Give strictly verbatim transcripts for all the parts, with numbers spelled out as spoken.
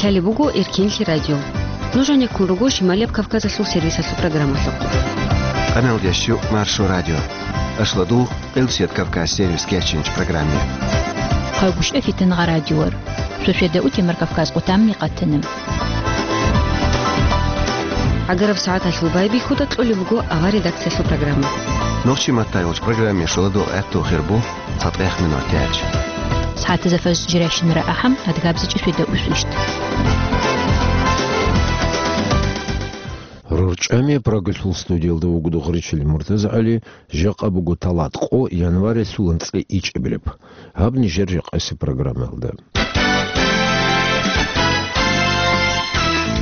Лъалеб буго Эркенлъи радио. Нуж гьанеккун руго Шималияб Кавказалъул сервисалъул программалъухъ. Къаналдеш щу Маршо радио. Ашлодул, Къилсият Кавказ сервис кечинч программе. Гьагушев Фитингъа радиор. Шошеда утемар Кавказ къутамми къатана. ГӀагараб сагӀаталъул байбихьуда кьолеб буго авар редакциялъул программа. Нохчи маттайолч программе шоладо гӀатту хирбу. ЦатӀех минутач. СагӀатазда фажр жирайщинара ахӀам, адгабзичӀи шведа усвищт. РорчӀами Прагалъул студиялда вугода гъоричил МуртазагӀали, жакъа буго талат къо январилъул анцӀила ичӀабилеб. Гьаб нижер жакъасеб программаялда.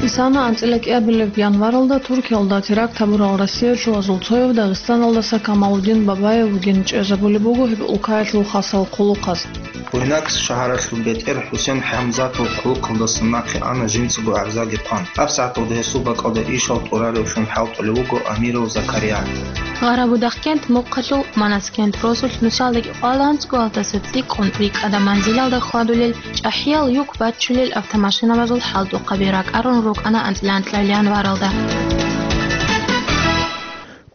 Исана анцӀила кӀиабилеб январалда Туркиялда теракт гьабурал Россиялъул азулцояв Дагъистаналдаса Камалудин Бабаев вугин чӀезабулеб буго гьеб улкаялъул хасал хъулухъаз. Буйнакск шагьаралъул бетӀер ХӀусен ХӀамзатов хъулухъалдаса нахъе ана жинцаго гӀарзаги хъван. ГьабсагӀаталда гьесул бакӀалда ишал тӀураревлъун хӀалтӀулев вуго Амиров Закария. Гъарабудахъкент мухъалъул Манаскент росулъ нусалдаги къваланцӀго гьалдаса цӀикӀкӀун рикӀкӀада манзилалда хьвадулел, чӀахӀиял юк баччулел автомашинабазул хӀалтӀухъаби ракӀарун рукӀана анцӀила анкьабилеб январалда.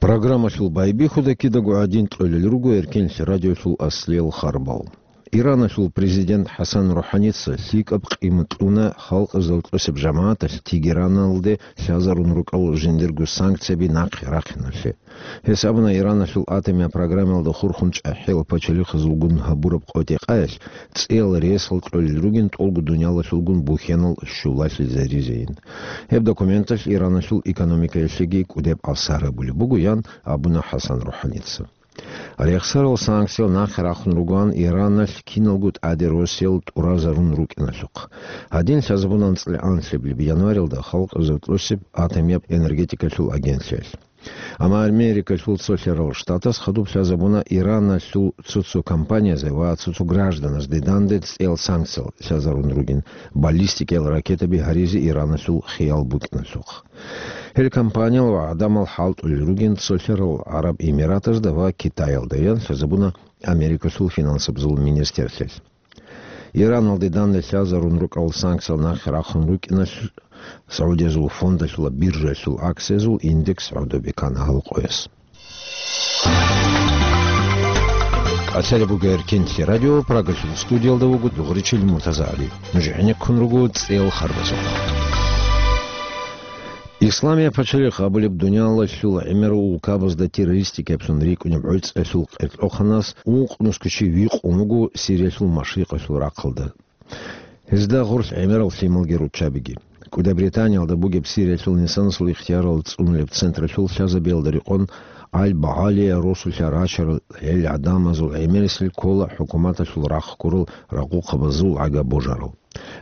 Программалъул байбихьуда кидаго гӀадин кьолел руго Эркенлъи радиолъул аслиял харбал. Ираналъул президент ХӀасан РухӀаница лъикӀаб къимат кьуна халкъазул тӀосеб жамагӀаталъ Тегераналде лъазарун рукӀарал жиндирго санкцияби нахъе рахъиналъе. Гьес абуна, Ираналъул атомияб программаялда хурхун чӀахӀиял пачалихъазулгун гьабураб къотӀи-къаялъ цӀиял ресал кьолел ругин тӀолго дуниялалъулгун бухьанал щулалъизаризейин. Гьеб документалъ Ираналъул экономикаялъеги кӀудеб асар гьабулеб буго, ян абуна ХӀасан РухӀаница. Рехсарал санкциял нахъе рахъун ругоан Ираналъ киналго тӀаде росиял тӀуразарун рукӀиналъухъ. Гьадин лъазабуна анцӀила анлъабилеб январилда халкъазул тӀосеб атомияб энергетикалъул агентлъиялъ. Амма Америкалъул цолъарал штатас хадуб лъазабуна Ираналъул цо-цо компаниязе ва цо-цо гражданазде данде цӀиял санкциял лъазарун ругин, баллистикиял ракетаби гьаризе Ираналъул хиял букӀиналъухъ. Гьел компаниял ва гӀадамал хӀалтӀулел ругин цолъарал ГӀараб Эмиратазда ва Китаялда, ян лъазабуна Америкалъул финансабазул министрлъиялъ. Ираналде данде лъазарун рукӀарал санкциял нахъе рахъун рукӀиналъ, СагӀудиязул фондалъула биржаялъул акциязул индекс гӀодобе ккана гьал къояс. Лъалеб буго Эркенлъи радио, Прагалъул студиялда вуго дугъричил МуртазагӀали. Нуж гӀенеккун руго цӀел харбазухъ. Исламияб пачалихъ абулеб дуниялалъул гӀемерал улкабазда террористикаблъун рикӀкӀунеб гӀорцӀиялъул къеркьохъанас ункънусго чи викъун вуго Сириялъул машрикъалъул рахъалда. Гьезда гъорлъ гӀемерал лъималги руччабиги. КӀуда Британиялда бугеб Сириялъул инсанасул ихтиярал цӀунулеб централъул лъазабиялда рекъон, Аль-Багьалия росулъа рачарал гьел гӀадамазул гӀемерисел ккола хӀукуматалъул рахъ гурал рагъухъабазул гӀага божарал.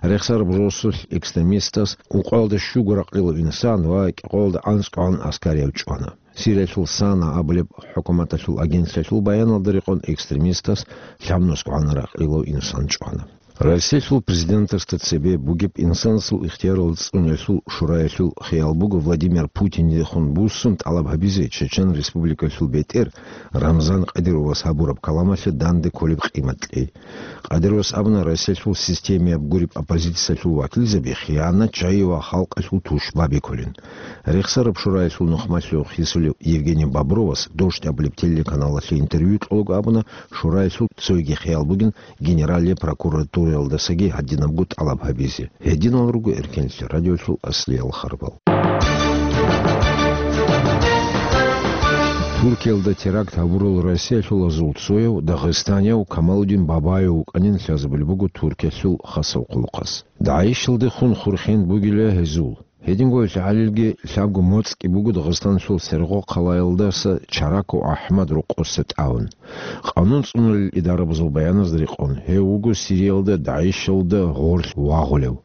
Рехсараб росулъ экстремистас ункъоялда щуго ракълилав инсан ва кӀикъоялда анцӀгогӀан аскарияб чӀвана. Сириялъул Сана абулеб хӀукуматалъул агентлъиялъул баяналда рекъон экстремистас лъабнусгогӀан ракълилав инсан чӀвана. Россиялъул президентасда цебе бугеб инсанасул ихтиярал цӀуниялъул шураялъул хиял буго Владимир Путиндехун буссун тӀалаб гьабизе Чечен Республикалъул бетӀер Рамзан Кадыровас гьабураб каламалъе данде кколеб къимат кьей. Кадыровас абуна, Россиялъул системаяб гуреб оппозициялъул вакилзаби хиянатчагӀи ва халкъалъул тушбаби кколин. Рехсараб шураялъул нухмалъув хисулев Евгений Бобровас Дождь абулеб телеканалалъе интервью кьолого абуна, шураялъул цоги хиял бугин Генеральный прокуратураялдасаги гьадинабго тӀалаб гьабизе. Гьединал руго Эркенлъи радиолъул аслиял харбал. Туркиялда теракт гьабурал Россиялъул азул цояв дагъистанияв Камалудин Бабаев вукӀанин лъазабулеб буго Туркиялъул хасав хъулухъас. ДагӀишалдехун хурхен бугила гьезул. Гьединго лъагӀалилги лъабго моцӀги буго Дагъистаналъул Сергъо хъалаялдаса Чараков АхӀмад рокъоса тӀавун. Къанун цӀунулел идарабазул баяназда рекъон, гьев вуго Сириялда ДагӀишалда гъорлъ вагъулев.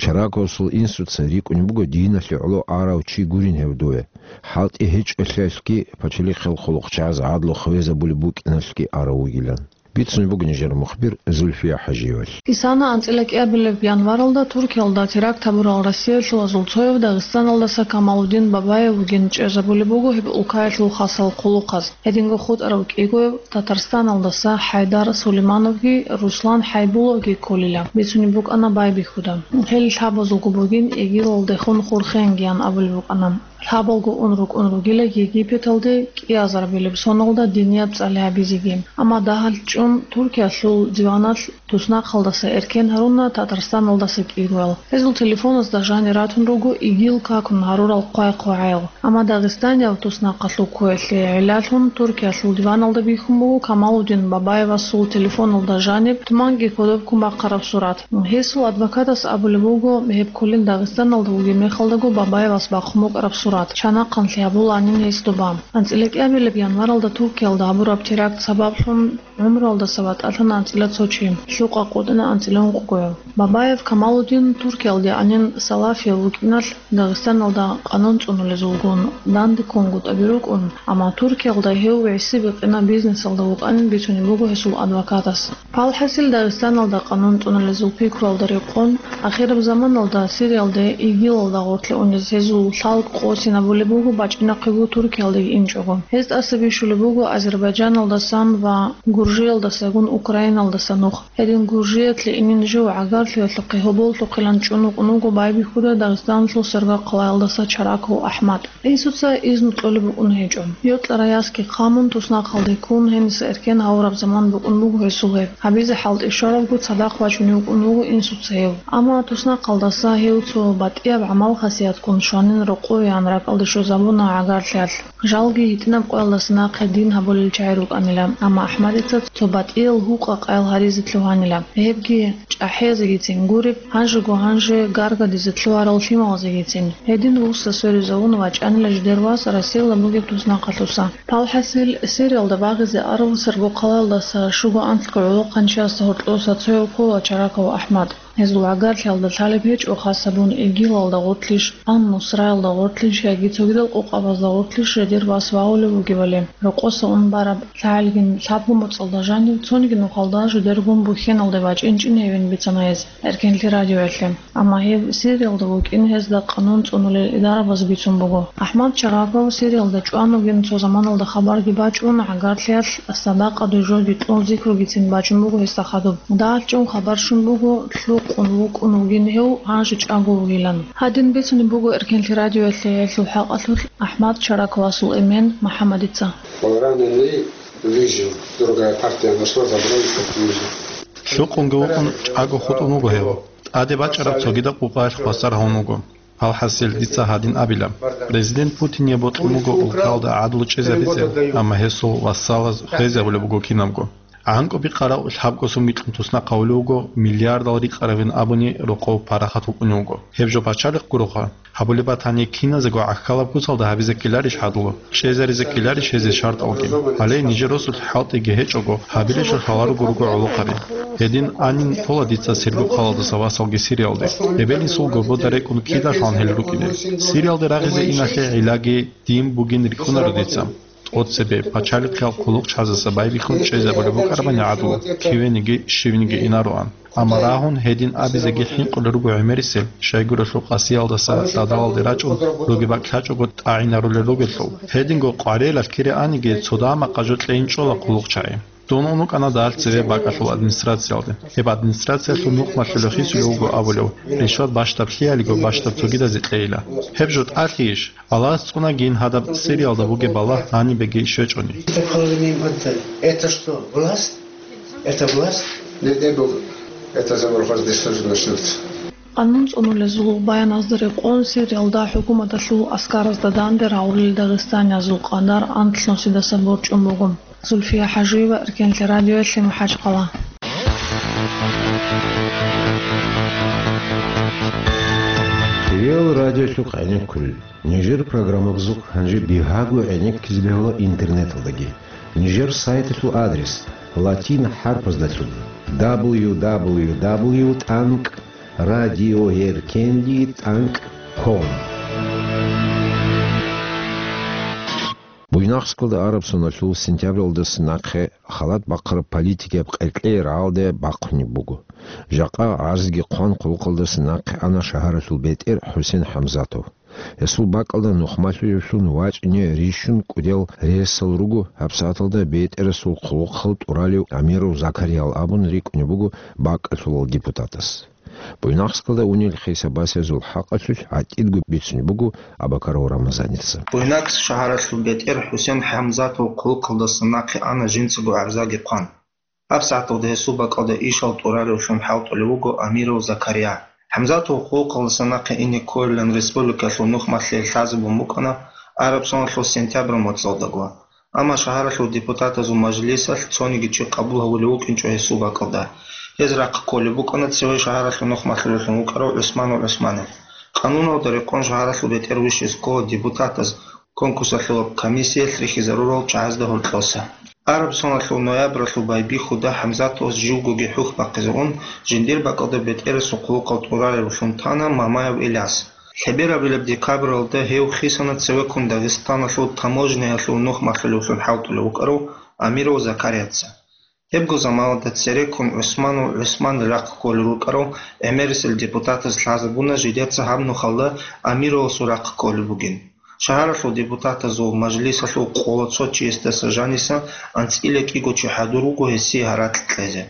Чараковасул инсуца рикӀкӀунеб буго диналъе гӀоло арав чи гурин гьев дове. ХӀалтӀи гьечӀолъиялъги пачалихъал хъулухъчагӀаз гӀадлу хвезабулеб букӀиналъги арав вугилан. Бицунеб буго нижер мухбир Зульфия ХӀажиевалъ. Исана анцӀила кӀиабилеб январалда Туркиялда теракт гьабурал россиялъулазул цояв Дагъистаналдаса Камалудин Бабаев вугин чӀезабулеб буго гьеб улкаялъул хасал хъулухъаз. Гьединго хутӀарав кӀигояв Татарстаналдаса ХӀайдар Сулеймановги Руслан ХӀайбуловги кколила, бицунеб букӀана байбихьуда. Гьел лъабазулго бугин ИГИЛалдехун хурхенгиян абулеб букӀана. Лъабалго ун рукӀун ругила Египеталде кӀиазарбилеб соналда динияб цӀали гьабизеги. Амма дагьал чӀун Туркиялъул диваналъ туснахъалдаса эркен гьаруна Татарстаналдаса кӀигоял. Гьезул телефоназда жанир ратун руго ИГИЛ какун гьарурал хъвай-хъвагӀаял. Амма дагъистанияв туснахъалъул ккоялъе гӀиллалъун Туркиялъул диваналда бихьун буго Камалудин Бабаевасул телефоналда жаниб туманги кодоб ккун бахъараб сурат. Гьесул адвокатас абулеб буго, гьеб кколин Дагъистаналда вугеб мехалдаго Бабаевас бахъун букӀараб сурат, чанахъанлъи гьабуланин гьес доба. АнцӀила кӀиабилеб январалда Туркиялда гьабураб теракт сабаблъун гӀумруялдаса ватӀалъана анцӀила цо чи, лъукъа къотӀина анцӀила ункъгояв. Бабаев Камалудин Туркиялде гӀанин салафияв вукӀиналъ, Дагъистаналда къанун цӀунулезулгун, данде ккунгутӀаби рукӀун, амма Туркиялда гьев гӀиси-бикъина бизнесалда вукӀанин бицунеб буго гьесул адвокатас. Палхасил Дагъистаналда къанун цӀунулезул пикруялда рекъон, ахираб заманалда Сириялде ИГИЛалда гъорлъе унез гьезул лъалкӀ къосинабулеб буго бачӀинахъего Туркиялдеги инчӀого. Гьез тӀаса бищулеб буго Азербайджаналдасан ва Гуржиялдасагун Украиналдаса нух. Гьедин Гуржиялъе инин жив гӀагарлъиялъухъе гьоболлъухъилан чӀун вукӀун вуго байбихьуда Дагъистаналъул Сергокъалаялдаса Чараков АхӀмад. Инсуца изну кьолеб букӀун гьечӀо. Йокьарай ясги хъамун, туснахъалде ккун, гьениса эркен гьавураб заман букӀун буго гьесул гьеб. Гьабизе хӀалтӀи щварабго цадахъ вачунев вукӀун вуго инсуца гьев. Амма туснахъалдаса гьев цо батӀияб гӀамал-хасиятккун щванин рокъовеян ракӀалде щвезабуна гӀагарлъиялъ. Жалги гьитӀинаб къоялдаса нахъе дин гьабулел чагӀи рукӀанила, амма АхӀмадица цо батӀиял гьукъа къаял гьаризе лъугьанила. Гьебги чӀахӀиязегицин гуреб, гьанжего гьанже гаргадизе лъугьарал лъималазегицин. Гьедин вуссун сверизавун вачӀанила жидер вас Россиялда бугеб туснахъалъуса. Палхасил, Сириялда багъизе арав Сергокъалаялдаса щуго анлъго гӀолохъанчиясда гьоркьоса цояв ккола Чараков АхӀмад. Гьезул гӀагарлъиялда лъалеб гьечӀо хасабун ИГИЛалда гъорлъищ, Ан-Нусраялда гъорлъищ яги цогидал къокъабазда гъорлъищ жидер вас вагьулев вугевали. Рокъоса ун бараб лъагӀалгин лъабго моцӀалда жанив цониги нухалда жидергун бухьеналде бачӀинчӀин гьевин бицана гьез Эркенлъи радиоялъе. Амма гьев Сириялда вукӀин гьезда къанун цӀунулел идарабаз бицун буго. АхӀмад Чараков Сириялда чӀван вугин цо заманалда хабарги бачӀун, гӀагарлъиялъ садакъа дужоги кьун зикругицин бачӀун буго гьесда хадуб. ДагӀалчӀун хабар щун буго, лъукъун вукӀун вугин гьев, гьанже чӀаго вугилан. Гьадин бицунеб буго Эркенлъи радиоялъе гьелъул хӀакъалъулъ АхӀмад Чараковасул эмен МухӀаммадица. Раненый выжил, другая партия нашла, забрали, как выжил. Лъукъунги вукӀун чӀаго хутӀун вуго гьев. ТӀаде бачӀараб цогидаб къукъаялъ хвасар гьавун вуго. Алхасил, дица гьадин абила. Президент Путине бокьун буго улкалда гӀадлу чӀезабизе, амма гьесул вассалаз хвезабулеб буго кинабго. ГӀанкӀуби къарав лъабго сумги кьун туснахъ гьавулев вуго, миллиардал рикъаравин абуни рокъов парахат вукӀунев вуго. Гьеб жо пачалихъ гуроха. Гьабулеб батани, киназего гӀахьалаб куцалда гьабизе ккеларищ гьадлу? ЧӀезаризе ккеларищ гьезие шартӀалги? Гьале нижер росулъ хӀалтӀиги гьечӀого, гьабилелъул хӀаларуго руго гӀолохъаби. Гьедин анин ккола дица Сергокъалаялдаса васалги Сириялде. Эбел-инсул гобода рекӀун кидалъан гьел рукӀине. Сириялде рагъизе иналъе гӀиллаги дин бугин рихьунаро дица. ТӀоцебе пачалихъиял хъулухъчазаса байбихьун чӀезабулеб букӀарабани гӀадлу, кивениги щивниги инароан. Амма рагьун гьедин абизеги хӀинкъулел руго гӀемерисел, щайгурелъул къасиялдаса лъадалалде рачӀун ругеб бакӀ лъачӀого тӀагӀинарулел ругелъул. Гьединго къварилъ кире аниги цо дагьа-макъа жо кьейин чӀола хъулухъчагӀи. Дун унукӀана дагьал цеве бакӀалъул администрациялде. Гьеб администрациялъул нухмалъулев хисулев вуго абулев, ришват бащдаб лъиялиго бащдаб цогидазе кьейила. Гьеб жо тӀалъийищ? Аллагьас цӀунагийин гьадаб Сириялда бугеб балагь гьанибеги щвечӀони. Это что, власть? Это власть? Не дай Бог, это заморозка здесь тоже начнется. Къанун цӀунулезул баяназда рекъон Сириялда хӀукуматалъул аскаразда данде рагъулел дагъистаниязул къадар анлънусидаса борчӀун буго. Зульфия ХӀажиева, Эркенлъи радиоялъе, МахӀачхъала. Реал радиолъухъ гӀенеккулел. Нижер программабазухъ гьанже бигьаго гӀенеккизе бегьула интернеталдаги. Нижер сайталъул адрес латин хӀарпаздалъун: дабл ю дабл ю дабл ю тӀанкӀ радиоэркенлъи тӀанкӀ ком. Буйнакскалда араб соналъул сентябралдаса нахъе халат бахъараб политикияб къеркьей рагӀалде бахъунеб буго. Жакъа гӀарзги хъван, хъулухъалдаса нахъе ана шагьаралъул бетӀер ХӀусен ХӀамзатов. Гьесул бакӀалда нухмалъулевлъун вачӀине рищун кӀудиял рейсал руго, гьабсагӀаталда бетӀерасул хъулухъал тӀуралев Амиров Закариял абун рикӀкӀунеб буго бакӀалъулал депутатас. Буйнакскалда унел хисабасезул хӀакъалъулъ гӀатӀидго бицунеб буго Абакаров Рамазаница. Буйнакск шагьаралъул бетӀер ХӀусен ХӀамзатов хъулухъалдаса нахъе ана жинцаго гӀарзаги хъван. ГьабсагӀаталда гьесул бакӀалда ишал тӀуралевлъун хӀалтӀулев вуго Амиров Закария. ХӀамзатов хъулухъалдаса нахъе ине кколилан республикалъул нухмалъе лъазабун букӀана араб соналъул сентябрь моцӀалдаго. Амма шагьаралъул депутатазул мажлисалъ цониги чи къабул гьавулев вукӀинчӀо гьесул бакӀалда. Гьез рахъ кколеб букӀана цеве шагьаралъул нухмалъулевлъун вукӀарав ГӀусманов ГӀусманил. Къануналда рекъон шагьаралъул бетӀер вищизе ккола депутатаз конкурсалъул комиссиялъ рихьизарурал чагӀазда гьоркьоса. Араб соналъул ноябралъул байбихьуда ХӀамзатовас живгоги хӀухь бахъизе ун, жиндир бакӀалда бетӀерасул хъулухъал тӀуралевлъун тана Мамаев Иляс. Лъеберабилеб декабралда гьев хисана цевеккун Дагъистаналъул таможняялъул нухмалъулевлъун хӀалтӀулев вукӀарав Амиров Закарияца. Гьебго заманалда цереккун ГӀусманов ГӀусман рахъ кколел рукӀарав гӀемерисел депутатаз лъазабуна жидеца гьаб нухалда Амировасул рахъ кколеб бугин. Шагьаралъул депутатазул мажлисалъул къола цо чиясдаса жаниса анцӀила кӀиго чи хӀадур руго гьесие гьаракь кьезе.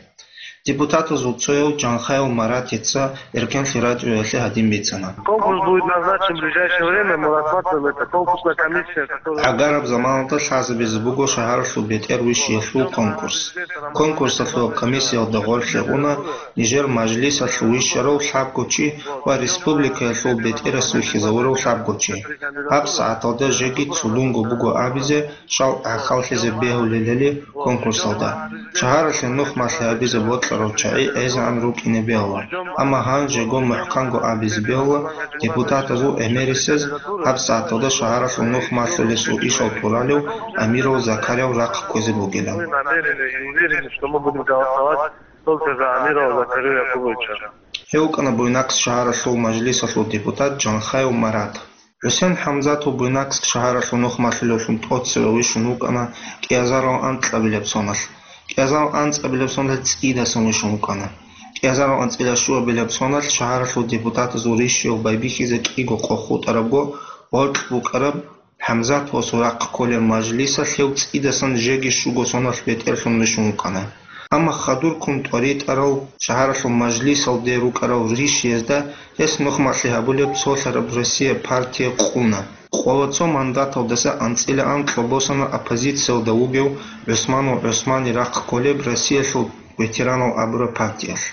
Депутатазул цояв Жанхаев Маратица Эркенлъи радиоялъе гьадин бицана. Конкурс будет назначен в ближайшее время, мы рассматриваем это. Конкурсная комиссия, которая... ГӀагараб заманалда лъазабизе буго шагьаралъул бетӀер вищиялъул конкурс. Конкурсалъул комиссиялда гъорлъе уна нижер мажлисалъ вищарав лъабго чи ва республикаялъул бетӀерас вихьизавурав лъабго чи. ГьабсагӀаталда жеги цӀудунго буго абизе, щал гӀахьаллъизе бегьулелали конкурсалда. Шагьаралъе нухмалъи гьабизе бокьарав чагӀи гӀезегӀан рукӀине бегьула, амма гьанжего мухӀканго абизе бегьула депутатазул гӀемерисез гьабсагӀаталда шагьаралъул нухмалъулесул ишал тӀуралев Амиров Закарияв рахъ кквезе бугилан. Мы намерены и уверены, что мы будем голосовать только за Амирова Закария Якубовича. Гьев вукӀана Буйнакск шагьаралъул мажлисалъул депутат Жанхаев Марат. ХӀусен ХӀамзатов Буйнакск шагьаралъул нухмалъулевлъун тӀоцеве вищун вукӀана кӀиазарав анкьабилеб соналъ. КӀиазарав анцӀабилеб соналъ цӀидасан вищун вукӀана. КӀиазарав анцӀила щуабилеб соналъ шагьаралъул депутатазул рищиялъ байбихьизе кӀиго къо хутӀарабго гъоркь букӀараб ХӀамзатовасул рахъ кколеб мажлисалъ гьев цӀидасан жеги щуго соналъ бетӀерлъун вищун вукӀана. Амма хадурккун тӀоритӀарал шагьаралъул мажлисалде рукӀарал рищиязда гьес нухмалъи гьабулеб цолъараб Россия партия къуна. Къоло цо мандаталдаса анцӀила анкьа босана оппозициялда вугев ГӀусманов ГӀусмани рахъ кколеб Россиялъул ветеранал абураб партиялъ.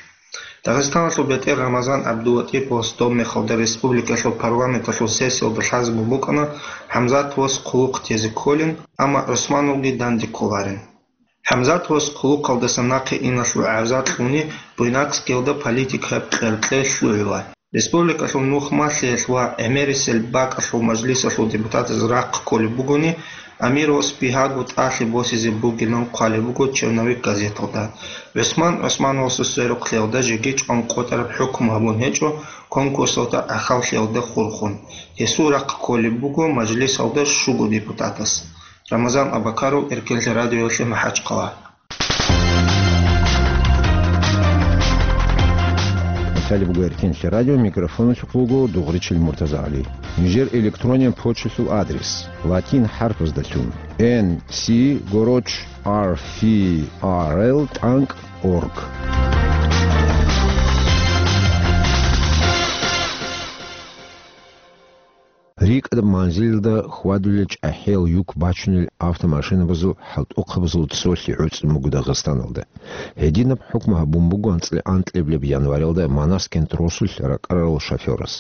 Дагъистаналъул бетӀер Рамазан ГӀабдулатӀиповас доб мехалда республикалъул парламенталъул сессиялда лъазабун букӀана ХӀамзатовас хъулухъ тезе кколин, амма ГӀусмановги данде кколарин. ХӀамзатовас хъулухъалдаса нахъе иналъул гӀарза кьуни Буйнакскиялда политикаяб къеркье лъугӀила. Республикалъул нухмалъиялъ ва гӀемерисел бакӀалъул мажлисалъул депутатаз рахъ кколеб бугони, Амировас бигьаго тӀалъи босизе бугилан хъвалеб буго «Черновик» газеталда. ГӀусман ГӀусмановасул сверухълъиялда жеги чӀван къотӀараб хӀукму гьабун гьечӀо конкурсалда гӀахьаллъиялда хурхун. Гьесул рахъ кколеб буго мажлисалда щуго депутатас. Рамазан Абакаров, Эркенлъи радиоялъе, МахӀачхъала. Италия буго Эркенлъи радио, микрофоналъухъ вуго Дугъричил Муртазагьали. Нижер электрониян почталъул адрес: латин хӀарпаздалъун, N C гороч R F R L тӀанкӀ org. РикӀкӀад манзилалда хьвадулел чӀахӀиял юк бачунел автомашинабазул хӀалтӀухъабазул цолъи гӀуцӀун буго Дагъистаналда. Гьединаб хӀукму гьабун буго анцӀила анкьабилеб январалда Манаскент росулъ ракӀарарал шофёрас.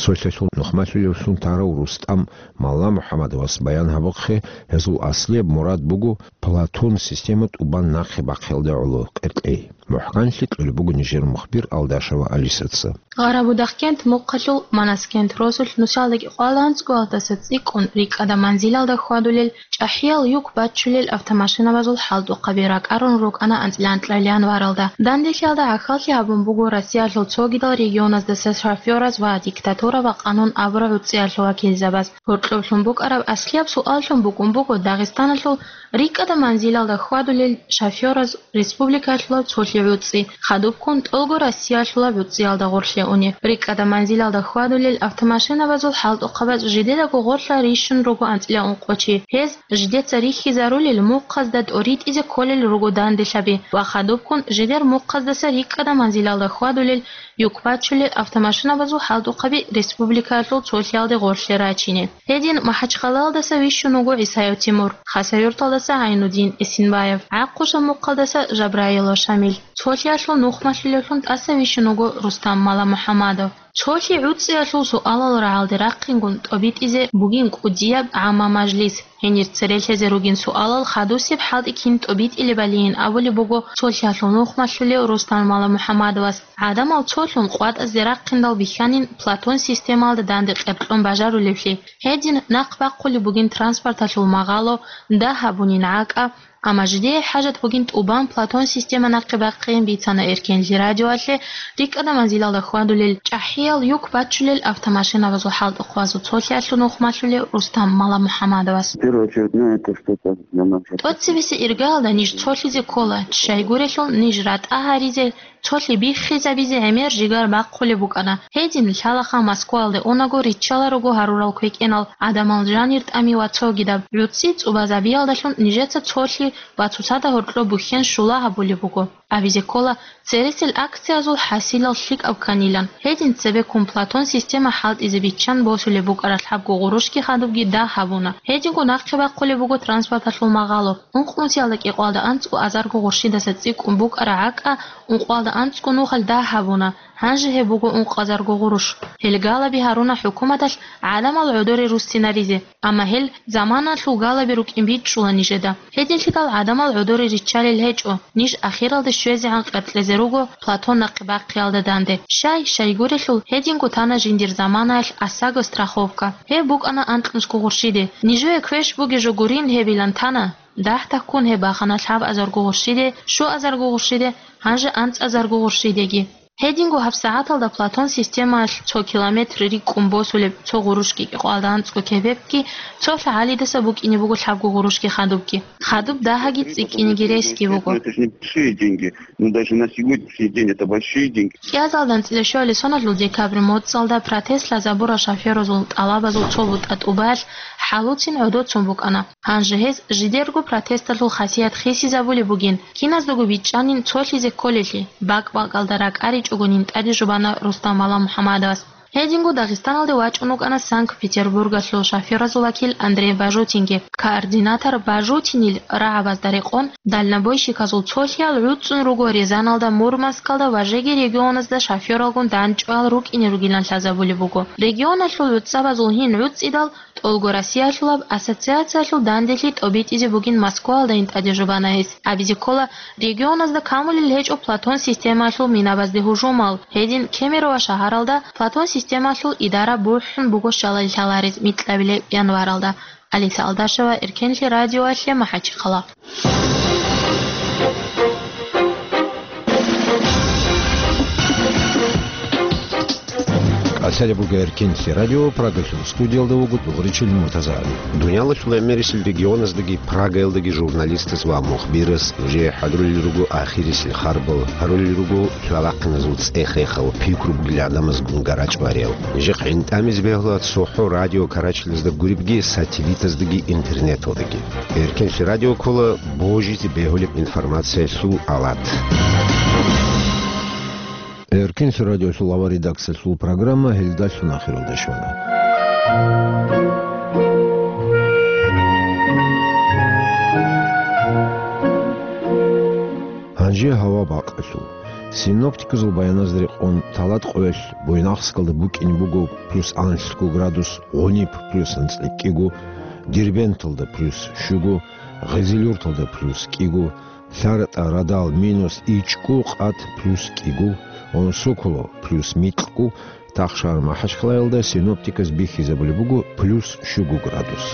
Цолъалъул нухмалъулевлъун тарав РустӀам Малламухьамадовас баян гьабухъе, гьезул аслияб мурад буго Платон система тӀубан нахъе бахъиялда гӀоло къеркьей. МухӀканлъи кьолеб буго нижер мухбир Алдашева Алисаца. Гъарабудахкент мухъалъул Манаскент росулъ нусалдаги къвалан цӀуялдаса цӀикӀкӀун рикӀкӀада манзилалда хьвадулел чӀахӀиял юк баччулел автомашинабазул хӀалтӀухъаби ракӀарун рукӀана анцӀила анкьабилеб январалда. Данделъиялда гӀахьаллъи гьабун буго Россиялъул цогидал регионаздаса шофёраз ва диктатура ва къанун абураб гӀуцӀиялъул вакилзабаз. Гьоркьоблъун букӀараб аслияб суаллъун букӀун буго Дагъистаналъул рикӀкӀада манзилалда хьвадулел шофёраз республикаялъулаб цолъи гӀуцӀи, хадубккун тӀолго Россиялъулаб гӀуцӀиялда гъорлъе уни. РикӀкӀада манзилалда хьвадулел автомашинабазул хӀалтӀухъабаз жидедаго гъорлъа рищун руго анцӀила ункъо чи. Гьез жидеца рихьизарулел мухъазда тӀоритӀизе кколел руго данделъаби ва хадубккун жидер мухъаздаса рикӀкӀада манзилалда хьвадулел юк бачулел автомашинабазул хӀалтӀухъаби республикаялъул цолъиялде гъорлъе рачине. Гьедин МахӀачхъалаялдаса вищун вуго ГӀисаев Тимур, Хасавюрталдаса ГӀайнудин Эсинбаев, ГӀахъушаб мухъалдаса Жабраилов Шамил. Цолъиялъул нухмалъулевлъун тӀаса вищун вуго Рустам Маламухьамадов. Цолъи гӀуцӀиялъул суалал рагӀалде рахъингун тӀобитӀизе бугин кӀудияб гӀамма мажлис. Гьенир церелъезе ругин суалал хадусеб хӀалтӀи кин тӀобитӀилебалиин абулеб буго цолъиялъул нухмалъулев Рустам Маламухьамадовас. ГӀадамал цолъун къватӀазде рахъиндал бихьанин Платон системалда данде къеркьун бажарулевлъи. Гьедин нахъ бахъулеб бугин транспорталъул магъало, дагь гьабунин гӀакӀа, амма жидее хӀажат бугин тӀубан Платон система нахъе бахъейин, бицана Эркенлъи радиоялъе рикӀкӀада манзилалда хьвадулел чӀахӀиял юк бачулел автомашинабазул хӀалтӀухъабазул цолъиялъул нухмалъулев Рустам Маламухьамадовас. В первую очередь, ну, это что-то для нас. ТӀоцебесеб иргаялда ниж цолъизе ккола, щайгурелъул ниж ратӀа гьаризе, цолъи биххизабизе гӀемер жигар бахъулеб букӀана. Гьедин лъалаха Москваялде унаго риччала руго гьарурал квекӀенал, гӀадамал жанир тӀами ва цогидаб гӀуцӀи цӀубазабиялдалъун нижеца цолъи ва цоцазда гьоркьоб бухьен щула гьабулеб буго. Абизе ккола, цересел акциязул хӀасилал лъикӀаб кканилан. Гьедин цебеккун Платон система хӀалтӀизе биччан босулеб букӀараб лъабго гъурущги хадубги дагь гьабуна. Гьединго нахъе бахъулеб буго транспорталъул магъало. Ункънусиялда кӀикъоялда анцӀго азарго гъурщидаса цӀикӀкӀун букӀараб гӀакӀа ункъоялда анцӀго нухалъ дагь гьабуна. Гьанже гьеб буго ункъазарго гъурущ. Гьел галаби гьаруна хӀукуматалъ гӀадамал гӀодоре руссинаризе. Амма гьел заманалъул галаби рукӀин бичӀчӀула нижеда. Гьединлъидал гӀадамал гӀодоре риччалел гьечӀо, ниж ахиралде щвезегӀан къеркьезе руго Платон нахъе бахъиялда данде. Щай, щайгурелъул, гьединго тана жиндир заманаялъ осаго страховка. Гьеб букӀана анкьнусго гъурщиде. Нижее квеш бугеб жо гурин гьебилан тана. Дагь таккун гьеб бахана лъабазарго гъурщиде, щуазарго гъурщиде, гьанже анцӀазарго гъурщидеги. Гьединго гьабсагӀаталда Платон системаялъ цо километр рикӀкӀун босулеб цо гъурущги кӀикъоялда анцӀго кебекги, цо лъагӀалидаса букӀине буго лъабго гъурущги хадубги. Хадуб дагьаги цӀикӀкӀинеги ресги буго. Это ж небольшие деньги. Ну, даже на сегодняшний день это большие деньги. КӀиазалда анцӀила щуалил соналъул декабрь моцӀалда протест лъазабурал шофёразул тӀалабазул цо бутӀа тӀубаялъ хӀалуцин гӀодоцун букӀана. Гьанже гьез жидерго протесталъул хасият хисизабулеб бугин, киназдаго бичӀчӀанин цолъизе кколелъи, бакӀ-бакӀалда ракӀаричӀогонин тӀаде жубана Рустам Маламухьамадовас. Гьединго Дагъистаналде вачӀун вукӀана Санкт-Петербургалъул шофёразул вакил Андрей Бажутинги. Координатор Бажутинил рагӀабазда рекъон, дальнобойщиказул цолъиял гӀуцӀун руго Рязаналда, Мурманскалда ва жеги регионазда шофёралгун дандчӀвал рукӀине ругилан лъазабулеб буго. Регионалъул гӀуцӀабазул гьин гӀуцӀидал, ТӀолго Россиялъулаб ассоциациялъул данделъи тӀобитӀизе бугин Москваялдайин тӀаде жубана гьес. Абизе ккола, регионазда камулел гьечӀо Платон системаялъул минабазде гьужумал. Гьедин Кемерово шагьаралда Платон системаялъул идара бухӀун буго щалай лъаларез микьабилеб январалда. Алиса Алдашева, Эркенлъи радиоялъе, МахӀачхъала. КӀалъалеб буго Эркенлъи радио, Прагалъул студиялда вуго Дугъричил Муртазагьали. Дуниялалъул гӀемерисел регионаздаги Прагаялдаги журналистаз ва мухбираз нужее хӀадурулел руго ахирисел харбал, гьарулел руго лъалахъиназул цӀех-рехал, пикру бугел гӀадамазгун гарачӀвариял. Нижехъ гӀинтӀамизе бегьула цохӀо радио карачелазда гуребги, сателлитаздаги, интернеталдаги. Эркенлъи радио ккола божизе бегьулеб информациялъул алат. Эркенлъи радиолъул авар редакциялъул программа гьелдалъун ахиралде щвана. Гьанже гьава бакъалъул. Синоптиказул баяназда рекъон, Таладкъоялъ Буйнакскалда букӀине буго плюс анлъго градус, Гъуниб плюс анцӀила кӀиго, Дербенталда плюс щуго, Гъизилюрталда плюс кӀиго, ЛъаратӀа, Радал минус ичӀго, Къат плюс кӀиго, Онсоколо плюс микьго, Тахшар МахӀачхъалаялда синоптиказ бихьизабулеб буго плюс щуго градус.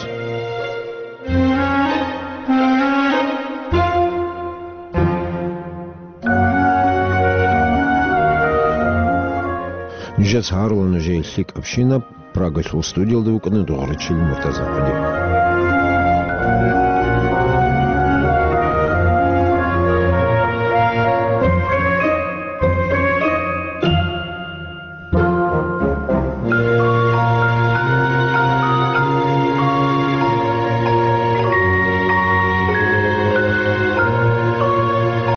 Жаз гьарула нужее лъикӀабщинаб, Прагалъул студиялда вукӀана дугӀрачил Муртаза-хъуди.